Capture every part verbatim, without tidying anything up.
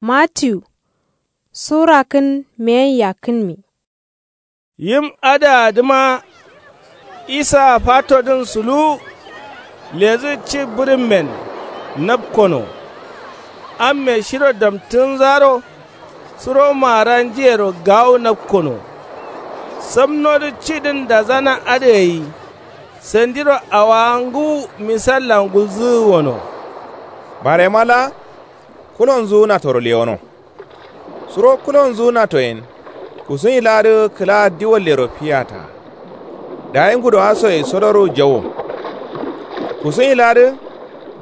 Matiyu sura kǝn meyen yakkǝnmi. Yim adǝa dǝma isa fatodǝn suluwu. Ledǝ ci bǝrǝmmen napkono. Amme shiro damtǝnzaro suro maara njiyero gawu napkono. Samnodǝ cidǝn dazana adǝ gai. Sandiro awowa ngǝwu misallan gulzǝgǝ wono. Barema laa kulonzu natoro lewono. Suro kulonzu natoyen kusuwin laadǝ kǝla diwallero fiyata. Dayi ngudowa soye sodoru jawo. Kusuwin laadǝ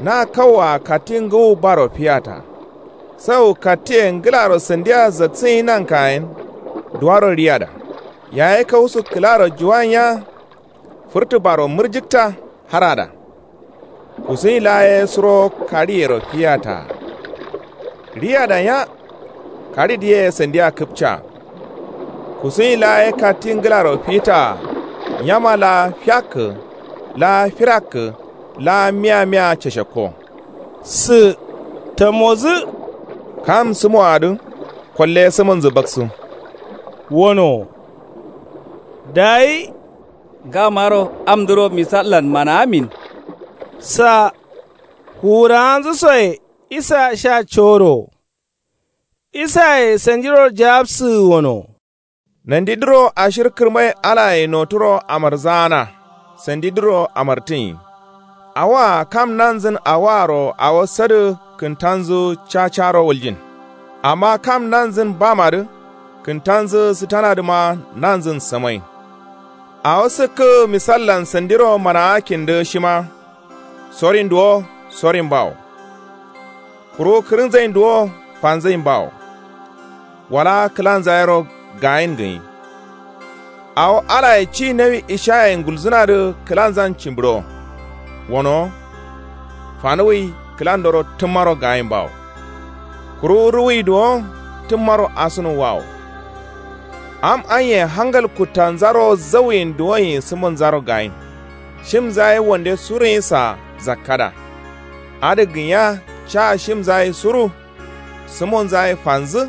na kauwa katti ngǝwu baro fiyata. Sau kattiye ngǝlaro sandiya zaksǝnyi nankayen. Duwaro riyada yaye kausu kǝlaro juwanya. Fǝrtǝ baro mǝrjǝkta harada. Kusuwin laa ye suro kaɍiyero fiyata. Riyada nya kaɍidǝ ye sandiya kǝpca. Kusuwin laa ye katti ngǝlaro fitaa. Nyama laa fiakkǝ laa firakkǝ laa miya miya cashakko. Sǝ tamozǝ. Kam sǝmoadǝ kolle sǝmǝnzǝ baksu. Wono. Dayi ngamaro amdǝro misallan manaamin. Sa fuwurawanzǝ soye isa sha coro. Isaye sandiro jawabsǝgǝ wono. Nandidǝro ashir kǝrmai alaye noturo amarzaana. Sandidǝro amartǝnyi. Awoa kam nanzǝn awoaro awo sadǝ kǝntanzǝ cacaro wuljin. Amma kam nanzǝn bamadǝ kǝntanzǝ sǝtanadǝma nanzǝn sǝmain. Awo sǝkkǝgǝ misallan sandiro manaakindǝ shima. Sorin duwo sorin bawo. Kuru kǝrǝnzain duwo fanzain bawo. Wala kǝlanza yero gayin gǝnyi. Awo alaye ci nawi ishaye ngulzǝnadǝ kǝlanzan cimbǝɍo. Wono. Fanuwui kǝlandoro tǝmmaro gayin bawo. Kuru ruwui duwo tǝmmaro asǝnu wawo. Am anye hangal kuttanzaro zawuyin duwoyin sǝmǝnzaro gayin. Shimza ye wande suruyinsa zakkada. Adǝ gǝnya ca shimza ye suru. Sǝmonza ye fanzǝ.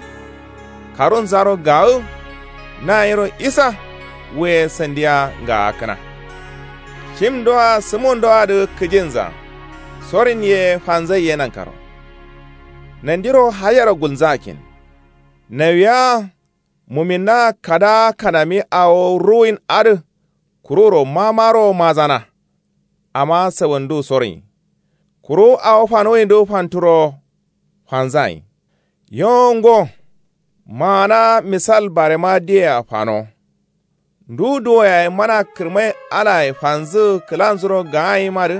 Karunzaro gawǝ. Nayero isa. Wuye sandiya ngaakǝna. Shimdoa sǝmondoadǝ kǝjinza. Sorin ye fanzai ye nankaro. Nandiro hayero gulnzakin. Nawiya muminna kada kanami awo ruwin adǝ. Kururo mamaro mazana. Amma sawandu sorin. Kuru awo fanuwindǝ fanturo fanzain. Yo ngo. Maana misal barema diyea fano. Ndu duwo yayi mana kǝrmai alaye fanzǝgǝ kǝlanzuro gaayimadǝ.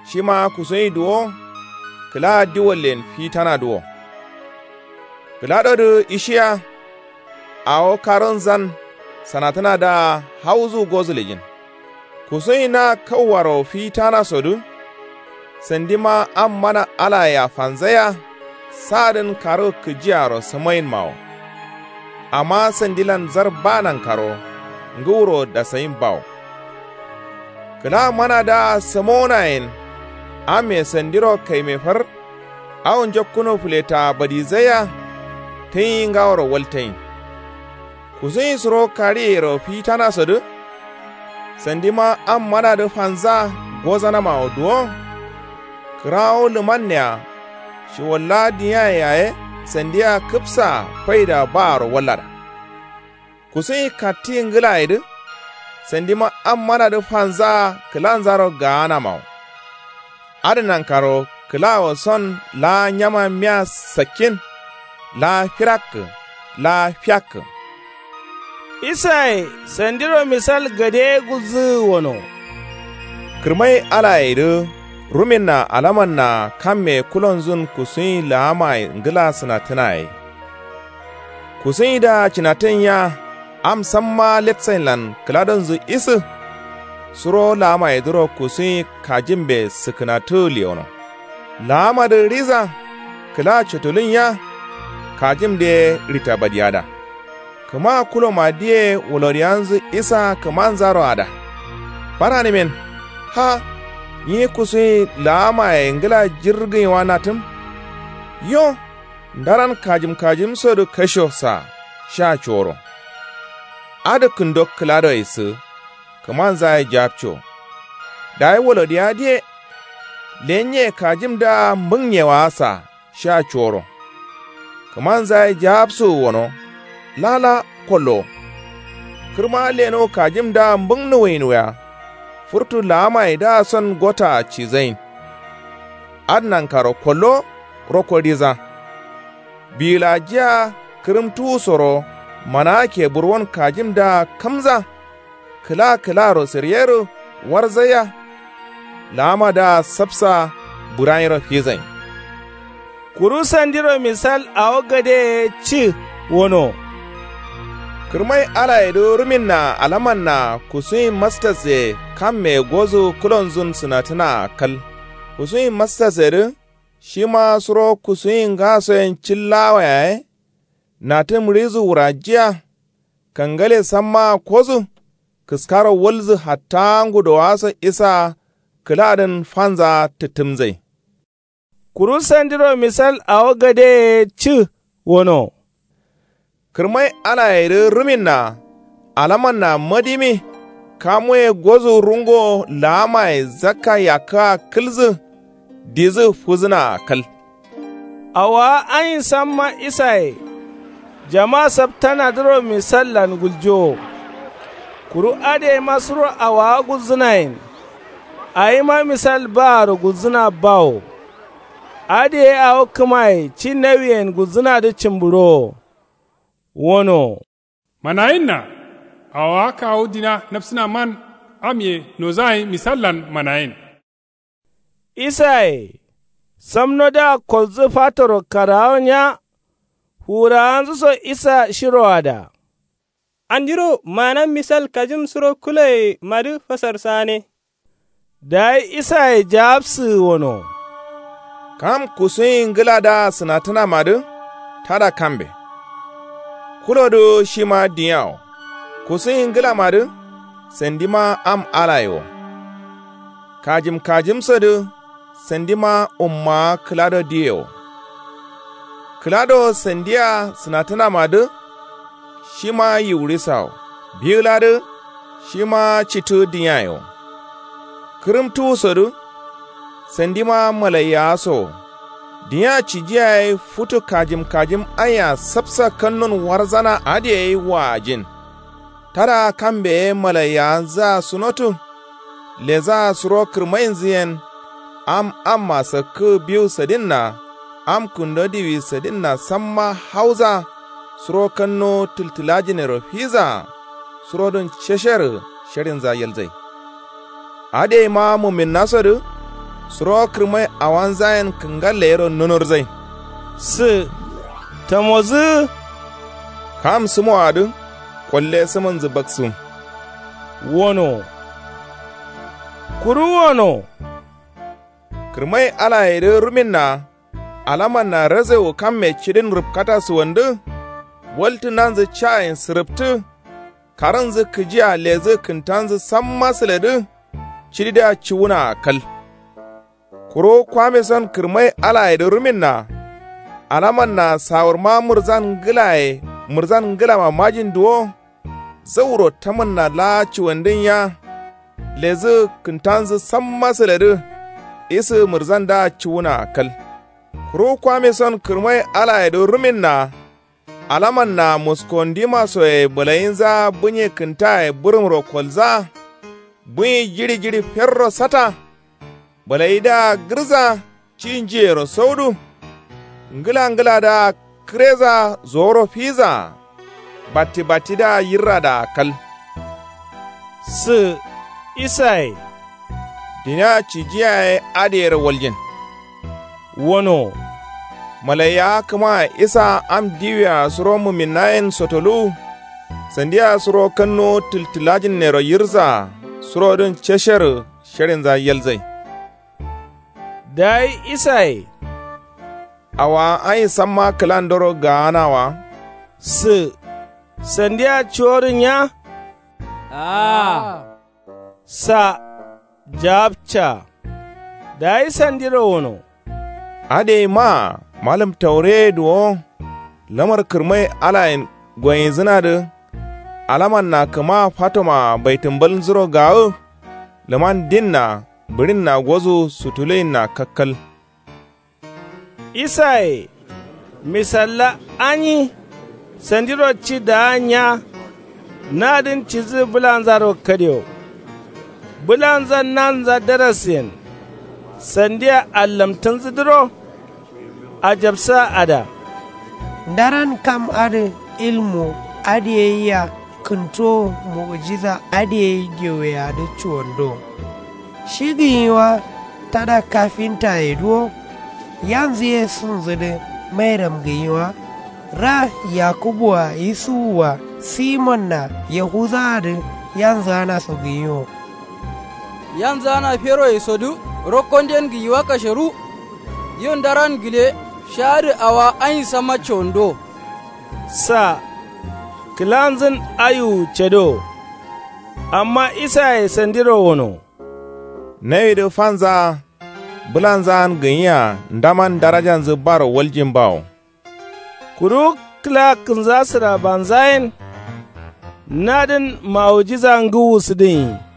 Shima kusuwin duwo. Kǝla diwallen fitana duwo. Kǝladodǝ ishiya. Awo karunzan sanatǝnadǝa hauzu gozǝ lejin. Kusuwin na kauwaro fitansodǝ. Sandima am mana alayea fanzaiya. Sadǝn karu kǝjiaro sǝmainmawo. Amma sandilan zar ba nankaro ngǝwuro dasayin bawo. Kǝla manadǝa sǝmonayen. Amme sandiro kaime far. Awo njokkuno fǝletaa badizaiya. Tǝnyi ngaworo waltayin. Kusuwin suro kaɍiyero fitanasodǝ. Sandima am manadǝ fanza gozanamawo duwo. Kǝrawo lǝmannea. Shiwolla diyaye yaye sandia kǝpsaa faida baaro wallada. Kusuwin katti ngǝlayedǝ. Sandima am manadǝ fanzaa kǝlanzaro gaanamawo. Adǝ nankaro kǝlawo son laa nyama miya sakkin. Laa firakkǝ laa fiyakkǝ. Isaye sandiro misal gade gulzǝgǝ wono. Kǝrmai alayedǝ ruminna alamanna kamme kulonzun kusuwin laamaye ngǝla sǝnatǝnaye. Kusuwindǝa cinatǝnnya. Am samma letsainlan kǝladonzǝ isǝ. Suro laamayedǝro kusuwin kajimbe sǝkǝnatǝgǝ lewono. Laamadǝ riza. Kǝla cotulunya. Kajimde ye rita badiyada. Kǝma kulomadǝye woloriyanzǝ isa kǝmanzaro ada. Baranǝmen. Ha. Nyi kusuwin laamaye ngǝla jirgǝnyiwa natǝm. Yo. Ndaran kajim kajimsodǝ kasho sa sha cuworo. Adǝ kǝndo kǝladoye sǝ kǝmanzaye japco. Dayi wolodiya diye. Lenye kajimdǝa mbǝngnyewa sa sha cuworo. Kǝmanzaye japsuwu wono. Lala kollo. Kǝrma leno kajimdǝa mbǝngnuwuyin wuya. Furtu laamaye dǝa son gotaa cizayin. Adǝ nankaro kollo rokko diza. Biyilajiya kǝrǝmtuwusoro manaa keburwon kajimdǝa kamza. Kǝla kǝlaro sǝryero warzaiya. Laamadǝa sapsa buranyiro fizayin. Kuru sandiro misal awo gadeye ci wono. Kǝrmai alayedǝ ruminna alamanna kusuyin mastasye kamme gozu kulonzun sǝnatǝnaa kal. Kusuyin mastasyedǝ shima suro kusuyin ngasoyen cillaawo yaye. Natǝ mǝɍizu wurajiya. Kangale sammaa kozu. Kǝskaro walzǝ hatta ngudowaso isa kǝladǝn fanzaa tǝttǝmzai. Kuru sandiro misal awo gadeye cǝ wono. Kǝrmai alayedǝ ruminna alamanna madimi. Kamuye gozu rungo laamaye zakka yakkǝa kǝlzǝ. Dizǝ fuzǝnaa kal. Awowa ayin samma isaye. Jama saptanadǝro misallan guljowo. Kuru adǝyeima suro awowa gulzǝnayen. Awima misal baaro gulzǝna bawo. Adǝ ye awo kǝmaye ci nawiyen gulzǝnadǝ cǝmbǝɍowo. Wono. Manayinna. Awowa kawu dina napsǝnaman. Am ye nozayin misallan manayin. Isaye. Samnodǝa kolzǝ fatoro karawo nya. Fuwurawanzǝso isa shiroada. Andiro maana misal kajim suro kuloyemadǝ fasarsane. Dayi isaye jaapsǝgǝ wono. Kam kusuyin ngǝladǝa sǝnatǝnamadǝ tada kambe. Kulodǝ shima dinya wo. Kusuyin ngǝlamadǝ sandima am alaye wo. Kajim kajimsodǝ sandima ummawa kǝlado diye wo. Kǝlado sandia sǝnatǝnamadǝ shima yiwurisa wo. Biwuladǝ shima citǝ dinyaye wo. Kǝrǝmtuwusodǝ sandima malaiyawa so wo. Dinya cijiyayai futu kajim kajim aiya sapsa kannun warzana adǝ gai waajin. Tada kambe ye malaiyawanzǝa sunotu. Lezǝa suro kǝrmainzǝ yen. Am amma sakkǝ biwu sadinna. Am kǝndo diwi sadinna samma hauza. Suro kanno tǝltǝlajinero fiza. Surodǝn cesherǝ sherinza yalzai. Adǝyeima muminnasodǝ suro kǝrmai awanzayen kǝngalle yero nunurzai. Sǝ tamozǝ. Kam sǝmoadǝ kolle sǝmǝnzǝ baksǝm. Wono. Kuru wono. Kǝrmai alayedǝ ruminna. Alamanna razewu kamme cidin rǝpkata sǝwandǝ. Waltǝnanzǝ cayen sǝrǝptǝ. Karǝnzǝ kǝjia lezǝ kǝntanzǝ samma sǝledǝ. Cididǝa cuwunaa kal. Kuru kwameson kǝrmai alayedǝ ruminna. Alamanna sawurma mǝrzan ngǝlaye mǝrzan ngǝlama majin duwo. Zauro tamǝnna laa cuwandin ya. Lezǝ kǝntanzǝ samma sǝledǝ. Isǝ mǝrzandǝa cuwunaa kal. Kuru kwameson kǝrmai alayedǝ ruminna. Alamanna muskondima soye bǝlayinza bǝnye kǝntaye bǝrǝmro kolza. Bǝnyi jiɍi jiɍi ferro sata. Bǝlayidǝa gǝrza. Ci njiyero saudu. Ngǝla ngǝladǝa kǝreza zoworo fiza. Batti battidǝa yirradaa kal. Sǝ isaye. Dina cijiyaye adǝ yero waljin. Wono. Malaiyawa kǝma isa am diwia suro muminnayen sotoluwu. Sandia suro kannuwo tǝltǝlajinnero yirza. Surodǝn cesherǝ sherinza yalzai. Dayi isaye. Awowa ain samma kǝlandoro gaana wa. Sǝ sandia cuworǝ nya. Aa. Sa. Jaapca. Dayi sandiro wono. Adǝ yai maa. Malǝm taureye duwo lamar kǝrmai alayen goyinzǝnadǝ alamanna kǝma fatoma baitǝmbalnzuro gawǝ. Lǝman dinna bǝɍinna gozu sutuluinna kakkal. Isaye misalla anyi sandiro ci daa nya. Nadǝn cidǝ bǝlanzaro kadio. Bǝlanzan nanza darasen sandia allamtǝnzǝdǝro. Ajabsa ada. Ndaran kam adǝ ilmu adǝ ye yia kǝntowo mu'ujiza adǝ ye geweyadǝ cuwondo. Shi gǝnyi wa tada kafintaye duwo. Yanzǝ ye sunzǝdǝ mairam gǝnyi wa ra yakubu-a yusufu-a simon-a yahuza-adǝ yanzǝ anaso gǝnyi wo. Yanzǝ ana feroye sodǝ rokkonden gǝnyi wa kasheru. Yo ndaran gǝle sha'adǝ awa anyi samma condo. Sa kǝlanzǝn ayuwu cedo. Amma isaye sandiro wono. Nawidǝ fanza bǝlanzan gǝnyiya ndaman darajanzǝ baro waljin bawo. Kuru kǝla kǝnza sǝrabanzayen nadǝn ma'ujiza ngǝwu sǝdǝnyi.